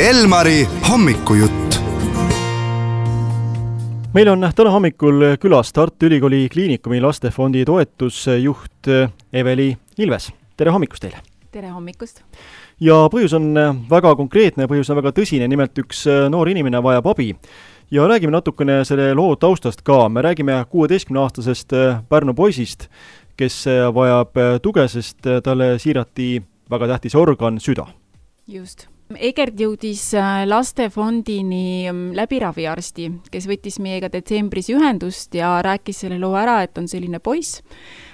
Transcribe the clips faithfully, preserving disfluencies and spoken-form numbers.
Elmari hommikujutt. Meil on täna hommikul külas Tartu Ülikooli Kliinikumi lastefondi toetusjuht Eveli Ilves. Tere hommikust teile! Tere hommikust! Ja põhjus on väga konkreetne, põhjus on väga tõsine, nimelt üks noor inimene vajab abi. Ja räägime natukene selle loo taustast ka. Me räägime kuueteistkümneaastasest Pärnu poisist, kes vajab tuge, sest talle siirati väga tähtis organ, süda. Just. Egert jõudis lastefondini läbi raviarsti, kes võttis meiega detsembris ühendust ja rääkis selle loo ära, et on selline poiss,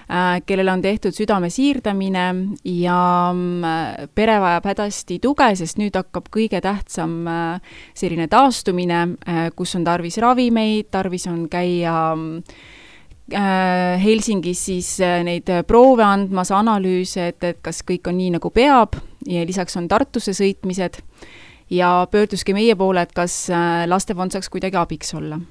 kellele on tehtud südame siirdamine ja pere vajab hädasti tuge, sest nüüd hakkab kõige tähtsam selline taastumine, kus on tarvis ravimeid, tarvis on käia Helsingis siis neid proove andmas, analüüse, et, et kas kõik on nii nagu peab ja lisaks on Tartusse sõitmised ja pöörduski meie poole, et kas lastefond saaks kuidagi abiks olla.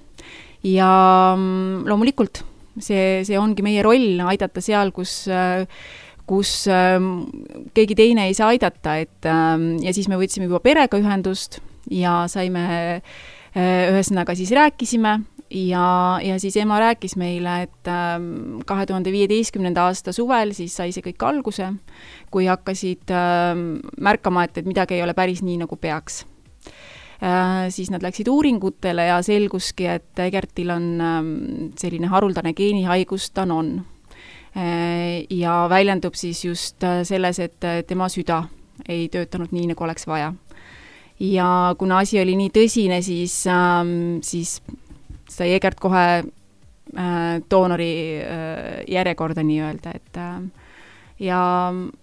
Ja loomulikult see, see ongi meie roll aidata seal, kus, kus keegi teine ei saa aidata, et, ja siis me võtsime juba perega ühendust ja saime ühesõnaga siis rääkisime ja, ja siis ema rääkis meile, et kahe tuhande viieteistkümnenda aasta suvel siis sai see kõik alguse, kui hakkasid märkama, et, et midagi ei ole päris nii, nagu peaks. Siis nad läksid uuringutele ja selguski, et Egertil on selline haruldane geenihaigus, ta on. Ja väljendub siis just selles, et tema süda ei töötanud nii, nagu oleks vaja. Ja kuna asi oli nii tõsine, siis, siis sai Egert kohe doonori järjekorda nii öelda, et ja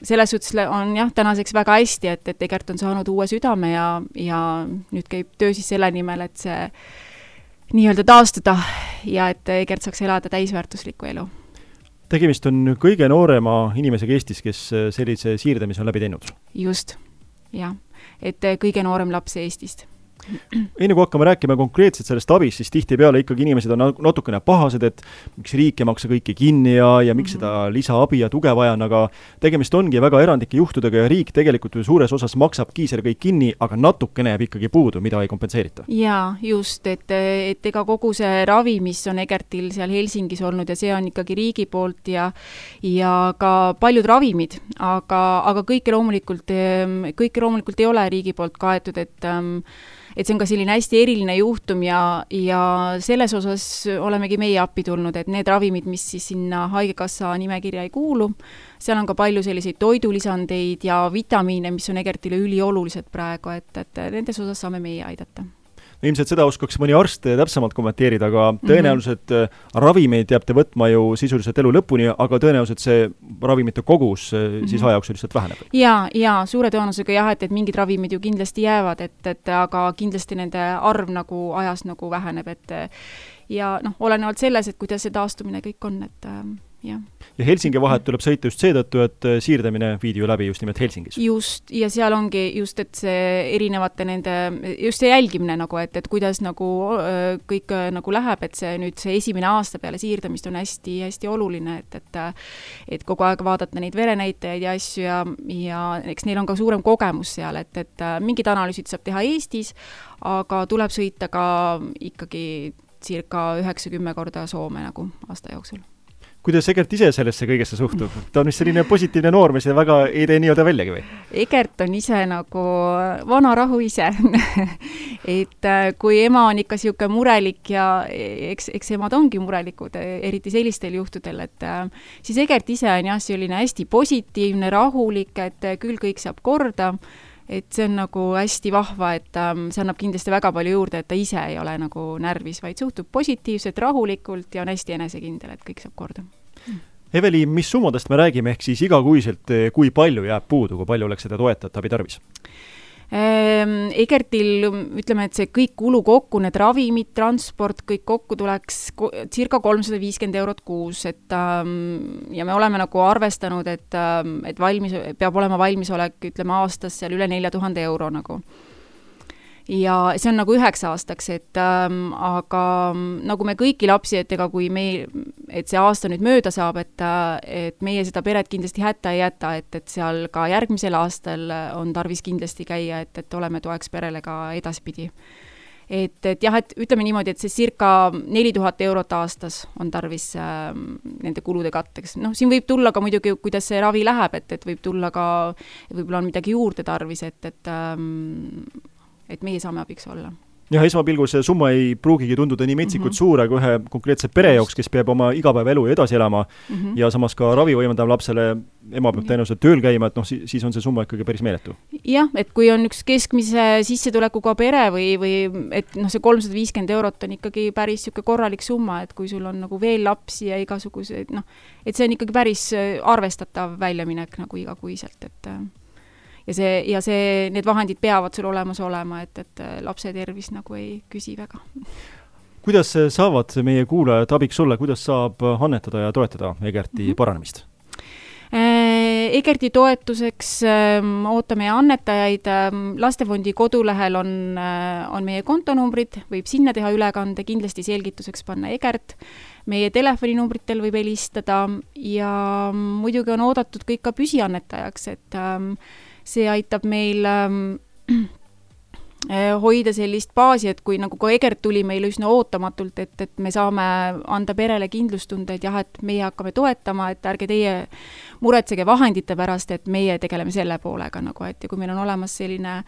selles suhtes on jah, tänaseks väga hästi, et, et Egert on saanud uue südame ja, ja nüüd käib töö siis selle nimel, et see nii-öelda taastuda ja et Egert saaks elada täisväärtuslikku elu. Tegemist on kõige noorema inimesega Eestis, kes sellise siirdamise on läbi teinud. Just, jah, et kõige noorem laps Eestist. Enne kui hakkame rääkima konkreetselt sellest abist, siis tihti peale ikkagi inimesed on natukene pahased, et miks riik ei maksa kõiki kinni ja, ja miks mm-hmm. seda lisaabi ja tuge vajan, aga tegemist ongi väga erandlike juhtudega ja riik tegelikult suures osas maksabki selle kõik kinni, aga natukene jääb ikkagi puudu, mida ei kompenseerita. Jaa, just, et, et ega kogu see ravi, mis on Egertil seal Helsingis olnud ja see on ikkagi riigi poolt ja, ja ka paljud ravimid, aga, aga kõike loomulikult, kõike loomulikult ei ole riigi poolt kaetud, et et see on ka selline hästi eriline juhtum ja, ja selles osas olemegi meie appi tulnud, et need ravimid, mis siis sinna haigekassa nimekirja ei kuulu, seal on ka palju selliseid toidulisandeid ja vitamiine, mis on Egertile üliolulised praegu, et, et nendes osas saame meie aidata. No, ilmselt seda oskaks mõni arst täpsemalt kommenteerida, aga tõenäoliselt mm-hmm. ravimeid jääb te võtma ju sisuliselt elu lõpuni, aga tõenäoliselt see ravimite kogus mm-hmm. siis ajajooksul lihtsalt väheneb. Ja, ja suure tõenäosusega jah, et, et mingid ravimid ju kindlasti jäävad, et, et aga kindlasti nende arv nagu ajas nagu väheneb, et ja noh, olenevalt selles, et kuidas see taastumine kõik on, et jah. Ja Helsingi vahet tuleb sõita just seetõttu, et siirdamine viidi ju läbi just nimelt Helsingis. Just, ja seal ongi just, et see erinevate nende, just see jälgimine nagu, et, et kuidas nagu kõik nagu läheb, et see nüüd see esimene aasta peale siirdamist on hästi, hästi oluline, et, et, et kogu aeg vaadata neid verenäitajaid ja asju ja, ja eks neil on ka suurem kogemus seal, et, et mingid analüüsid saab teha Eestis, aga tuleb sõita ka ikkagi circa üheksakümmend korda Soome nagu aasta jooksul. Kuidas Egert ise sellesse kõigesse suhtub? Ta on vist selline positiivne noor, mis väga ei tee nii-öelda väljagi või? Egert on ise nagu vana rahu ise. et kui ema on ikka siuke murelik ja eks, eks emad ongi murelikud, eriti sellistel juhtudel, et siis Egert ise on jah selline hästi positiivne, rahulik, et küll kõik saab korda, et see on nagu hästi vahva, et see annab kindlasti väga palju juurde, et ta ise ei ole nagu närvis, vaid suhtub positiivselt, rahulikult ja on hästi enesekindel, et kõik saab korda. Eveli, mis summadest me räägime, ehk siis igakuiselt, kui palju jääb puudu, kui palju oleks seda toetajat abi tarvis? Egertil, ütleme, et see kõik kulu kokku, need ravimid, transport, kõik kokku tuleks circa kolmsada viiskümmend eurot kuus, et ja me oleme nagu arvestanud, et, et valmis, peab olema valmisolek, ütleme, aastas seal üle nelja tuhande euro nagu. ja see on nagu üheks aastaks, et ähm, aga nagu me kõiki lapsi, et ega kui meil, et see aasta nüüd mööda saab, et, et meie seda peret kindlasti hätta ei jäta, et, et seal ka järgmisel aastal on tarvis kindlasti käia, et, et oleme toeks perele ka edaspidi. Et, et jah, et ütleme niimoodi, et see circa neli tuhat eurot aastas on tarvis äh, nende kulude katteks. Noh, siin võib tulla ka muidugi, kuidas see ravi läheb, et, et võib tulla ka, võib-olla on midagi juurde tarvis, et, et ähm, et meie saame abiks olla. Jah, esmapilgul see summa ei pruugigi tunduda nii metsikult mm -hmm. suur, aga ühe konkreetse pere jaoks, kes peab oma igapäevaelu edasi elama mm -hmm. ja samas ka ravi võimendab lapsele, ema peab tõenäoliselt tööl käima, et noh, siis on see summa ikkagi päris meeletu. Jah, et kui on üks keskmise sissetulekuga pere või, või et noh, see kolmsada viiskümmend eurot on ikkagi päris siuke korralik summa, et kui sul on nagu veel lapsi ja igasuguseid, noh, et see on ikkagi päris arvestatav väljaminek nagu igakuiselt, et ja see, ja see, need vahendid peavad sul olemas olema, et, et lapse tervis nagu ei küsi väga. Kuidas saavad meie kuulajad abiks olla, kuidas saab annetada ja toetada Egerti mm-hmm. paranemist? Egerti toetuseks ootame annetajaid. Lastefondi kodulehel on, on meie kontonumbrid, võib sinna teha ülekande, kindlasti selgituseks panna Egert. Meie telefoninumbritel võib helistada ja muidugi on oodatud kõik ka püsiannetajaks, et see aitab meil ähm, hoida sellist baasi, et kui nagu ka Egert tuli meile üsna ootamatult, et, et me saame anda perele kindlustunde, et jah, et meie hakkame toetama, et ärge teie muretsege vahendite pärast, et meie tegeleme selle poolega nagu, et ja kui meil on olemas selline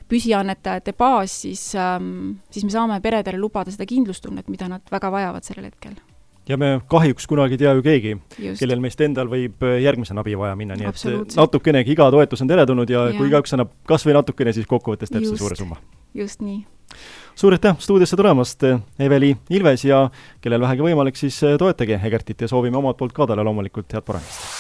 püsiannetajate baas, siis, ähm, siis me saame peredele lubada seda kindlustunnet, mida nad väga vajavad sellel hetkel. Ja me kahjuks kunagi tea ju keegi, Just. kellel meist endal võib järgmisena abi vaja minna, nii et natukenegi iga toetus on teretulnud ja, ja kui igaüks annab kas või natukene, siis kokkuvõttes teeb see suure summa. Just nii. Suur aitäh stuudiosse tulemast, Eveli Ilves, ja kellel vähegi võimalik, siis toetage Egertit ja soovime omalt poolt ka talle loomulikult head paranemist.